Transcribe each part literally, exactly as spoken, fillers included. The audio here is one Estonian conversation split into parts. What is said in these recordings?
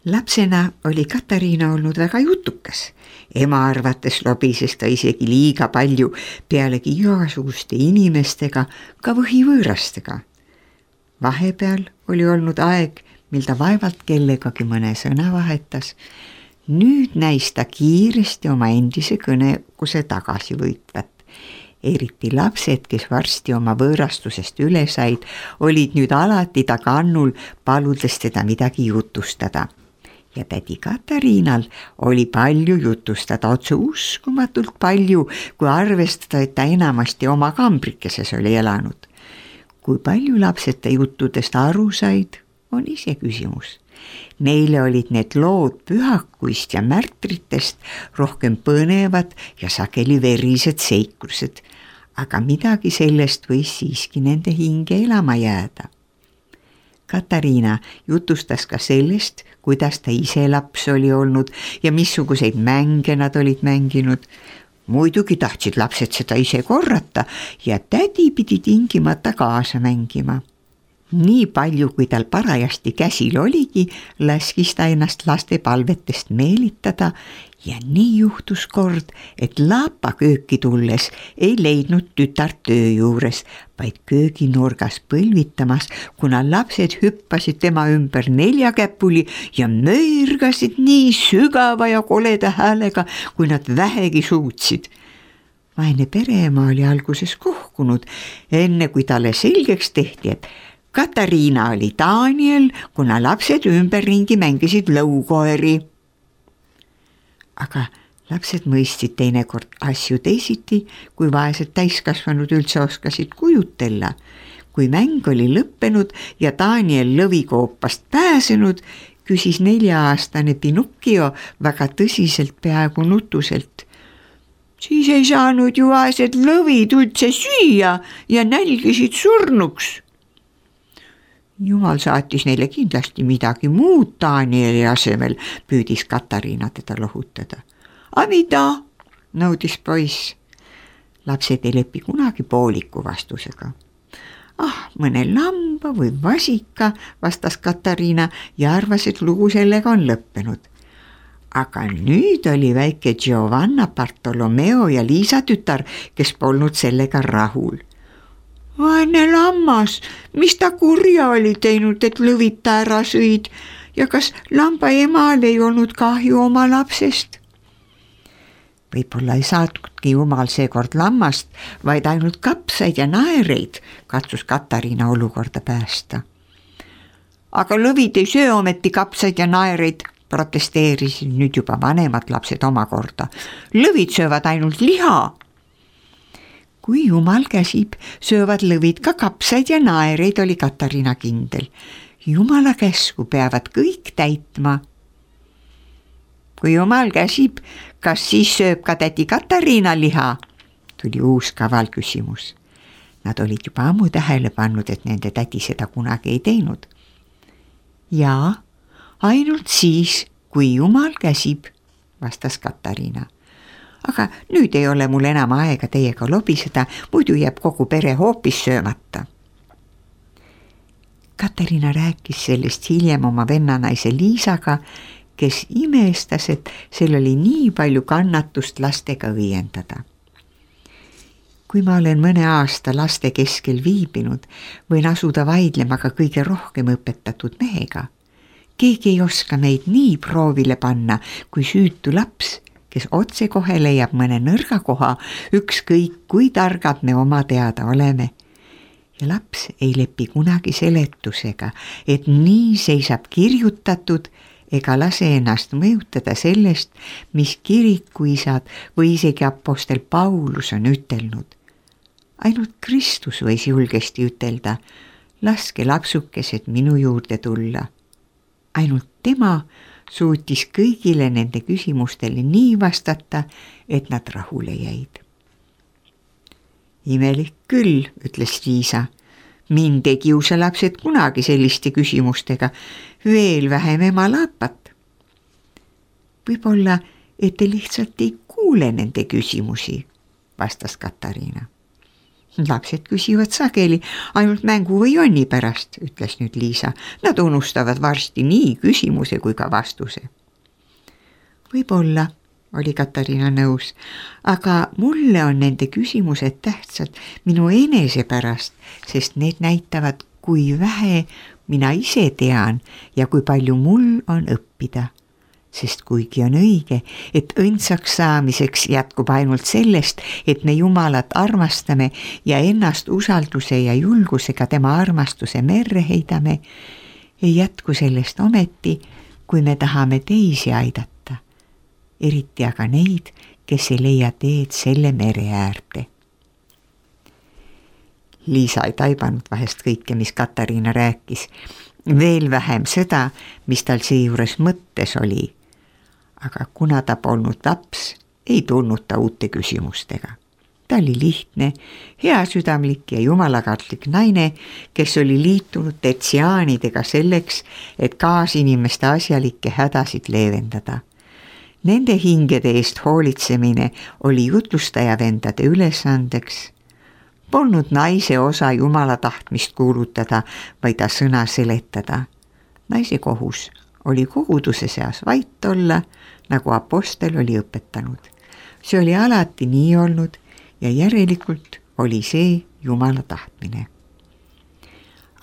Lapsena oli Katariina olnud väga jutukas. Ema arvates lobises ta isegi liiga palju, pealegi igasuguste inimestega, ka võhivõõrastega. Vahepeal oli olnud aeg, mil ta vaevalt kellegagi mõne sõna vahetas. Nüüd näis ta kiiresti oma endise kõnekuse tagasi võitvat. Eriti lapsed, kes varsti oma võõrastusest üle said, olid nüüd alati ta kannul, paludes teda midagi jutustada. Ja tädi Katariinal oli palju jutustada, otse uskumatult palju, kui arvestada, et ta enamasti oma kambrikeses oli elanud. Kui palju lapsed ta juttudest aru said, on ise küsimus. Neile olid need lood pühakuist ja märtritest rohkem põnevad ja sageli verised seiklused, aga midagi sellest võis siiski nende hinge elama jääda. Katariina jutustas ka sellest, kuidas ta ise laps oli olnud ja missuguseid mänge nad olid mänginud. Muidugi tahtsid lapsed seda ise korrata ja tädi pidi tingimata kaasa mängima. Nii palju, kui tal parajasti käsil oligi, laskis ta ennast laste palvetest meelitada ja nii juhtus kord, et Laapa kööki tulles ei leidnud tütart töö juures, vaid kööginurgas põlvitamas, kuna lapsed hüppasid tema ümber neljakäpuli ja möirgasid nii sügava ja koleda häälega, kui nad vähegi suutsid. Vaene pereema oli alguses kohkunud, enne kui talle selgeks tehti, et Katariina oli Daniel, kuna lapsed ümberringi mängisid lõukoeri. Aga lapsed mõistsid teinekord asju teisiti, kui vaesed täiskasvanud üldse oskasid kujutella. Kui mäng oli lõppenud ja Daniel lõvikoopast pääsenud, küsis nelja-aastane Pinocchio väga tõsiselt, peaaegu nutuselt. Siis ei saanud ju vaesed lõvid üldse süüa ja nälgisid surnuks. Jumal saatis neile kindlasti midagi muud Danieli asemel, püüdis Katariina teda lohutada. A mida? Nõudis poiss. Lapsed ei lepi kunagi pooliku vastusega. Ah, mõne lamba või vasika, vastas Katariina ja arvas, et lugu sellega on lõppenud. Aga nüüd oli väike Giovanna, Bartolomeo ja Liisa tütar, kes polnud sellega rahul. Vaene lammas, mis ta kurja oli teinud, et lõvid ta ära sõid ja kas lamba emal ei olnud kahju oma lapsest? Võib-olla ei saatudki Jumal seekord lammast, vaid ainult kapsaid ja naereid, katsus Katariina olukorda päästa. Aga lõvid ei söö ometi kapsaid ja naereid, protesteerisid nüüd juba vanemad lapsed omakorda. Lõvid söövad ainult liha. Kui Jumal käsib, söövad lõvid ka kapsaid ja naereid, oli Katariina kindel. Jumala käsku peavad kõik täitma. Kui Jumal käsib, kas siis sööb ka tädi Katariina liha? Tuli uus kaval küsimus. Nad olid juba ammu tähele pannud, et nende tädi seda kunagi ei teinud. Jaa, ainult siis, kui Jumal käsib, vastas Katariina. Aga nüüd ei ole mul enam aega teiega lobiseda, muidu jääb kogu pere hoopis söömata. Katariina rääkis sellest hiljem oma vennanaise Liisaga, kes imestas, et sel oli nii palju kannatust lastega õiendada. Kui ma olen mõne aasta laste keskel viibinud, võin asuda vaidlema ka kõige rohkem õpetatud mehega. Keegi ei oska meid nii proovile panna, kui süütu laps, kes otse kohe leiab mõne nõrga koha, ükskõik kui targad me oma teada oleme. Ja laps ei lepi kunagi seletusega, et nii seisab kirjutatud ega lase ennast mõjutada sellest, mis kirikuisad või isegi apostel Paulus on ütelnud. Ainult Kristus võis julgesti ütelda, laske lapsukesed minu juurde tulla. Ainult tema suutis kõigile nende küsimustele nii vastata, et nad rahule jäid. Imelik küll, ütles Liisa. Mind ei kiusa lapsed kunagi selliste küsimustega, veel vähem ema Laapat. Võib-olla, et te lihtsalt ei kuule nende küsimusi, vastas Katariina. Lapsed küsivad sageli ainult mängu või jonni pärast, ütles nüüd Liisa. Nad unustavad varsti nii küsimuse kui ka vastuse. Võib-olla, oli Katariina nõus, aga mulle on nende küsimused tähtsad minu enese pärast, sest need näitavad, kui vähe mina ise tean ja kui palju mul on õppida. Sest kuigi on õige, et õndsaks saamiseks jätkub ainult sellest, et me Jumalat armastame ja ennast usalduse ja julgusega tema armastuse merre heidame, ei jätku sellest ometi, kui me tahame teisi aidata, eriti aga neid, kes ei leia teed selle mere äärde. Liisa ei taibanud vahest kõike, mis Katariina rääkis, veel vähem seda, mis tal seejuures mõttes oli. Aga kuna ta polnud laps, ei tulnud ta uute küsimustega. Ta oli lihtne, heasüdamlik ja jumalakartlik naine, kes oli liitunud tertsiaanidega selleks, et kaasinimeste asjalikke hädasid leevendada. Nende hingede eest hoolitsemine oli jutlustajavendade ülesandeks. Polnud naise osa Jumala tahtmist kuulutada, vaid ta sõna seletada. Naise kohus oli koguduse seas vait olla, nagu apostel oli õpetanud. See oli alati nii olnud ja järelikult oli see Jumala tahtmine.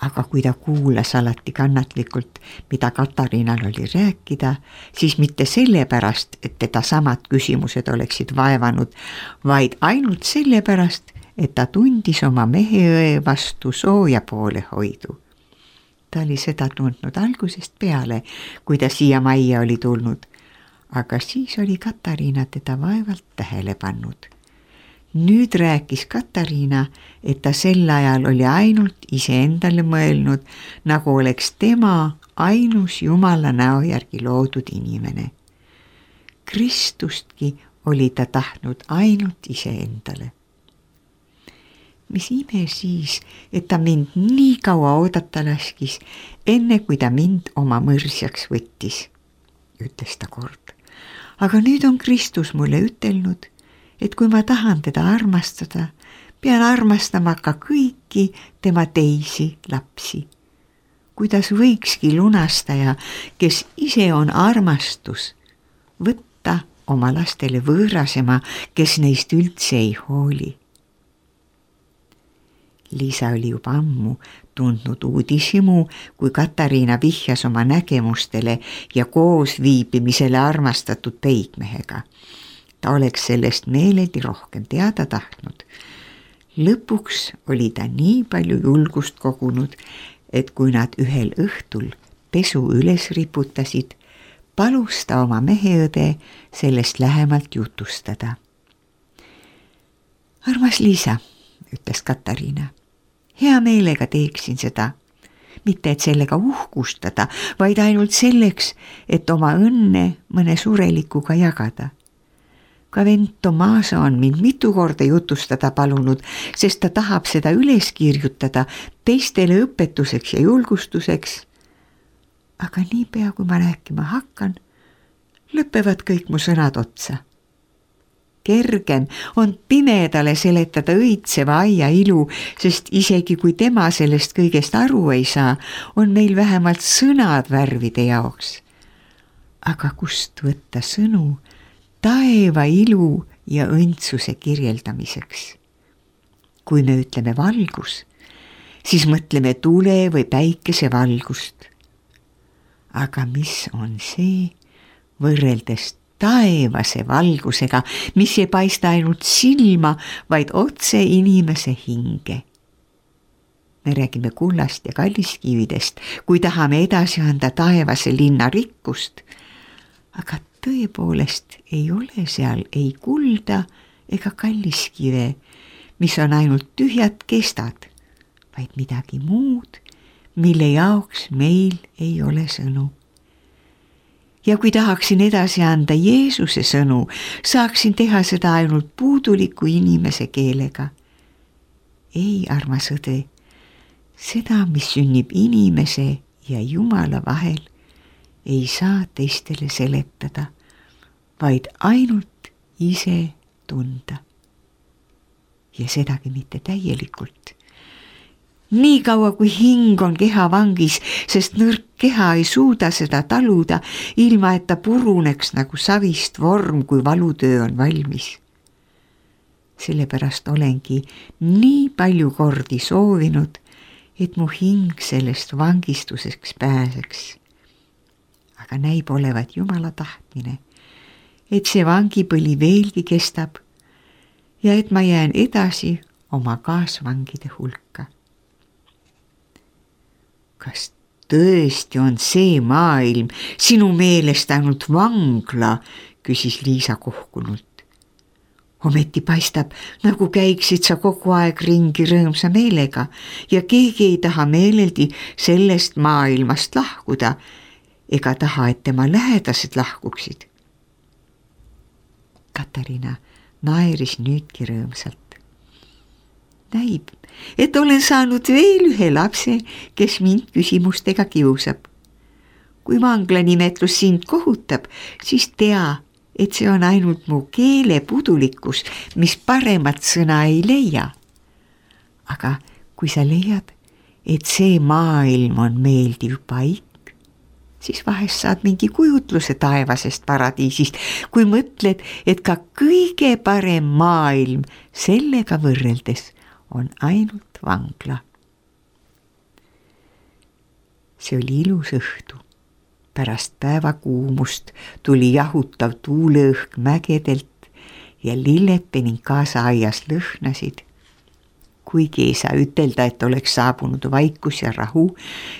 Aga kui ta kuulas alati kannatlikult, mida Katariinal oli rääkida, siis mitte sellepärast, et teda samad küsimused oleksid vaevanud, vaid ainult sellepärast, et ta tundis oma meheõe vastu sooja poole hoidu. Ta oli seda tundnud algusest peale, kui ta siia majja oli tulnud, aga siis oli Katariina teda vaevalt tähele pannud. Nüüd rääkis Katariina, et ta sel ajal oli ainult iseendale mõelnud, nagu oleks tema ainus Jumala näo järgi loodud inimene. Kristustki oli ta tahtnud ainult iseendale. Mis ime siis, et ta mind nii kaua oodata laskis, enne kui ta mind oma mõrsjaks võttis, ütles ta kord. Aga nüüd on Kristus mulle ütelnud, et kui ma tahan teda armastada, pean armastama ka kõiki tema teisi lapsi. Kuidas võikski lunastaja, kes ise on armastus, võtta oma lastele võõrasema, kes neist üldse ei hooli. Liisa oli juba ammu tundnud uudishimu, kui Katariina vihjas oma nägemustele ja koos viibimisele armastatud peigmehega. Ta oleks sellest meeledi rohkem teada tahtnud. Lõpuks oli ta nii palju julgust kogunud, et kui nad ühel õhtul pesu üles riputasid, palus ta oma meheõde sellest lähemalt jutustada. Armas Liisa, ütles Katariina, hea meelega teeksin seda, mitte et sellega uhkustada, vaid ainult selleks, et oma õnne mõne surelikuga jagada. Ka vend Tomaso on mind mitu korda jutustada palunud, sest ta tahab seda üles kirjutada teistele õpetuseks ja julgustuseks. Aga niipea, kui ma rääkima hakkan, lõpevad kõik mu sõnad otsa. Kergem on pimedale seletada õitseva aia ilu, sest isegi kui tema sellest kõigest aru ei saa, on meil vähemalt sõnad värvide jaoks. Aga kust võtta sõnu taeva ilu ja õndsuse kirjeldamiseks? Kui me ütleme valgus, siis mõtleme tule või päikese valgust. Aga mis on see võrreldes taevase valgusega, mis ei paista ainult silma, vaid otse inimese hinge? Me räägime kullast ja kalliskividest, kui tahame edasi anda taevase linna rikkust, aga tõepoolest ei ole seal ei kulda ega kalliskive, mis on ainult tühjad kestad, vaid midagi muud, mille jaoks meil ei ole sõnu. Ja kui tahaksin edasi anda Jeesuse sõnu, saaksin teha seda ainult puuduliku inimese keelega. Ei, armas õde, seda, mis sünnib inimese ja Jumala vahel, ei saa teistele seletada, vaid ainult ise tunda. ja sedagi mitte täielikult. Nii kaua kui hing on keha vangis, sest nõrk keha ei suuda seda taluda, ilma et ta puruneks nagu savist vorm, kui valutöö on valmis. Sellepärast olengi nii palju kordi soovinud, et mu hing sellest vangistuseks pääseks. Aga näib olevat Jumala tahtmine, et see vangipõli veelgi kestab ja et ma jään edasi oma kaasvangide hulka. Kas tõesti on see maailm sinu meelest ainult vangla, küsis Liisa kohkunult. Ometi paistab, nagu käiksid sa kogu aeg ringi rõõmsa meelega ja keegi ei taha meeleldi sellest maailmast lahkuda ega taha, et tema lähedased lahkuksid. Katariina naeris nüüdki rõõmsalt. Näib, et olen saanud veel ühe lapse, kes mind küsimustega kiusab. Kui vangla nimetlus sind kohutab, siis tea, et see on ainult mu keelepudulikkus, mis paremat sõna ei leia. Aga kui sa leiad, et see maailm on meeldiv paik, siis vahest saad mingi kujutluse taevasest paradiisist, kui mõtled, et ka kõige parem maailm sellega võrreldes on ainult vangla. See oli ilus õhtu. Pärast päeva kuumust tuli jahutav tuuleõhk mägedelt ja lilled Beninkaasa aias lõhnasid. Kuigi ei saa ütelda, et oleks saabunud vaikus ja rahu,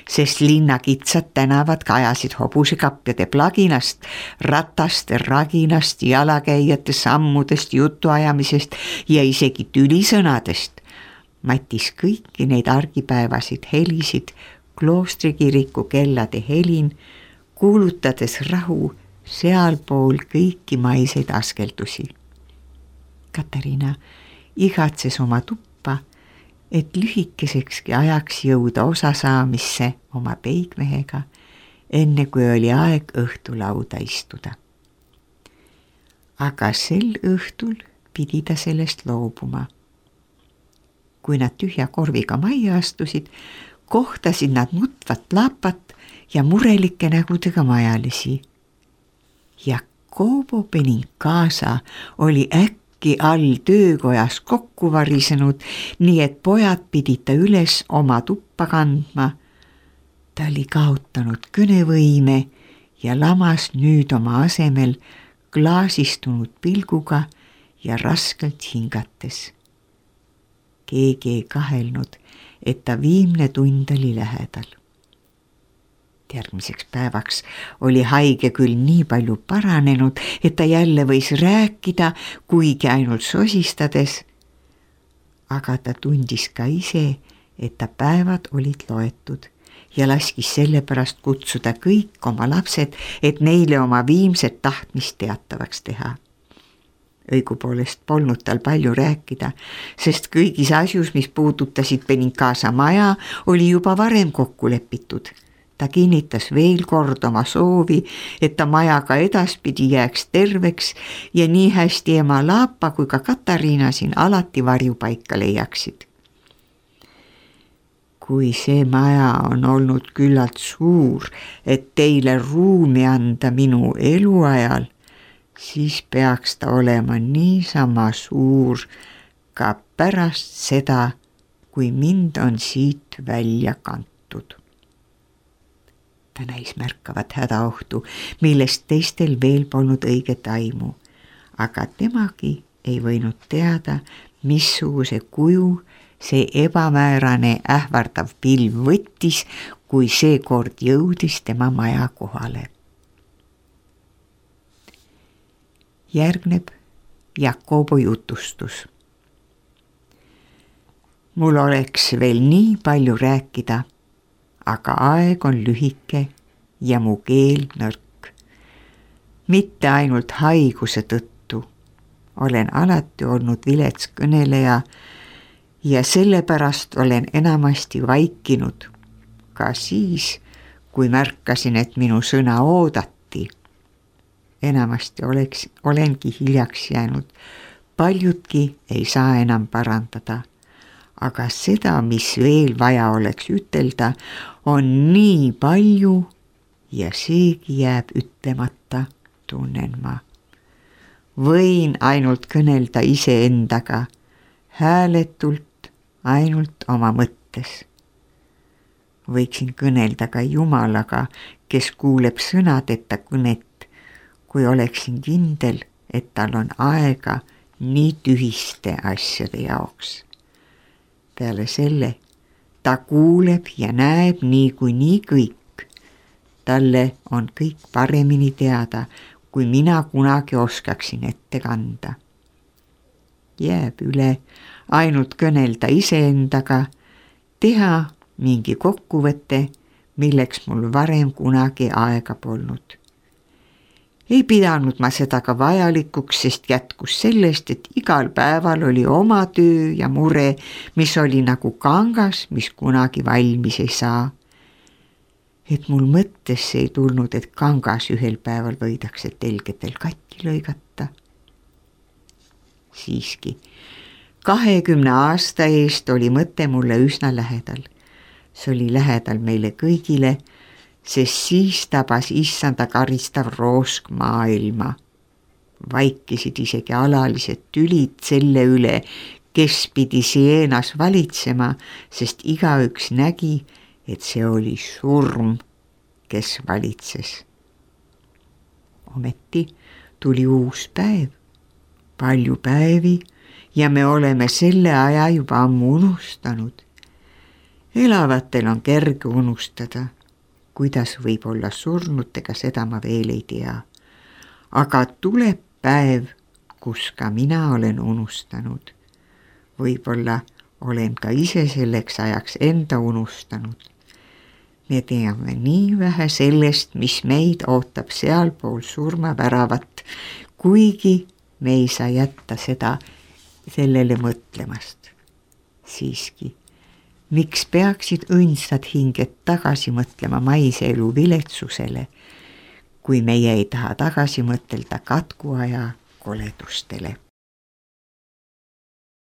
sest linna kitsad tänavad kajasid hobusekapjade plaginast, rataste raginast, jalakäijate sammudest, jutuajamisest ja isegi tülisõnadest. Matis kõiki neid argipäevasid helisid, kloostrikiriku kellade helin, kuulutades rahu sealpool kõiki maiseid askeldusi. Katariina igatses oma tuppa, et lühikesekski ajaks jõuda osasaamisse oma peigmehega, enne kui oli aeg õhtulauda istuda. Aga sel õhtul pidi ta sellest loobuma. Kui nad tühja korviga majja astusid, kohtasid nad nutvat lapat ja murelike nägudega majalisi. Jakobo Beninkaasa oli äkki all töökojas kokku varisenud, nii et pojad pidid ta üles oma tuppa kandma. Ta oli kaotanud kõnevõime ja lamas nüüd oma asemel klaasistunud pilguga ja raskelt hingates. Keegi ei kahelnud, et ta viimne tund oli lähedal. Järgmiseks päevaks oli haige küll nii palju paranenud, et ta jälle võis rääkida, kuigi ainult sosistades, aga ta tundis ka ise, et ta päevad olid loetud ja laskis sellepärast kutsuda kõik oma lapsed, et neile oma viimset tahtmist teatavaks teha. Õigupoolest polnud tal palju rääkida, sest kõigis asjus, mis puudutasid Beninkaasa maja, oli juba varem kokku lepitud. Ta kinnitas veel kord oma soovi, et ta maja ka edaspidi jääks terveks ja nii hästi ema Laapa kui ka Katariina siin alati varjupaika leiaksid. Kui see maja on olnud küllalt suur, et teile ruumi anda minu eluajal, siis peaks ta olema niisama suur ka pärast seda, kui mind on siit välja kantud. Ta näis märkavat hädaohtu, millest teistel veel polnud õiget aimu, aga temagi ei võinud teada, missuguse kuju see ebamäärane ähvardav pilv võttis, kui seekord jõudis tema maja kohale. Järgneb Jakobo jutustus. Mul oleks veel nii palju rääkida, aga aeg on lühike ja mu keel nõrk. Mitte ainult haiguse tõttu. Olen alati olnud vilets kõneleja ja sellepärast olen enamasti vaikinud. Ka siis, kui märkasin, et minu sõna oodati. Enamasti oleks, olengi hiljaks jäänud, paljudki ei saa enam parandada, aga seda, mis veel vaja oleks ütelda, on nii palju ja seegi jääb ütlemata, tunnen ma. Võin ainult kõnelda iseendaga, hääletult ainult oma mõttes. Võiksin kõnelda ka Jumalaga, kes kuuleb sõnadeta kõnet, kui oleksin kindel, et tal on aega nii tühiste asjade jaoks. Peale selle, ta kuuleb ja näeb niikuinii kõik. Talle on kõik paremini teada, kui mina kunagi oskaksin ette kanda. Jääb üle ainult kõnelda iseendaga, teha mingi kokkuvõte, milleks mul varem kunagi aega polnud. Ei pidanud ma seda ka vajalikuks, sest jätkus sellest, et igal päeval oli oma töö ja mure, mis oli nagu kangas, mis kunagi valmis ei saa. Et mul mõttesse ei tulnud, et kangas ühel päeval võidakse telgedel katki lõigata. Siiski, kahekümne aasta eest oli mõte mulle üsna lähedal. See oli lähedal meile kõigile, sest siis tabas issanda karistav roosk maailma. Vaikisid isegi alalised tülid selle üle, kes pidi Sienas valitsema, sest igaüks nägi, et see oli surm, kes valitses. Ometi tuli uus päev, palju päevi ja me oleme selle aja juba ammu unustanud. Elavatel on kerge unustada, kuidas võib olla surnutega, seda ma veel ei tea. Aga tuleb päev, kus ka mina olen unustanud. Võib-olla olen ka ise selleks ajaks enda unustanud. Me teame nii vähe sellest, mis meid ootab sealpool surmaväravat, kuigi me ei saa jätta seda sellele mõtlemast. Siiski, miks peaksid õndsad hinged tagasi mõtlema maise elu viletsusele, kui meie ei taha tagasi mõtelda katkuaja koledustele?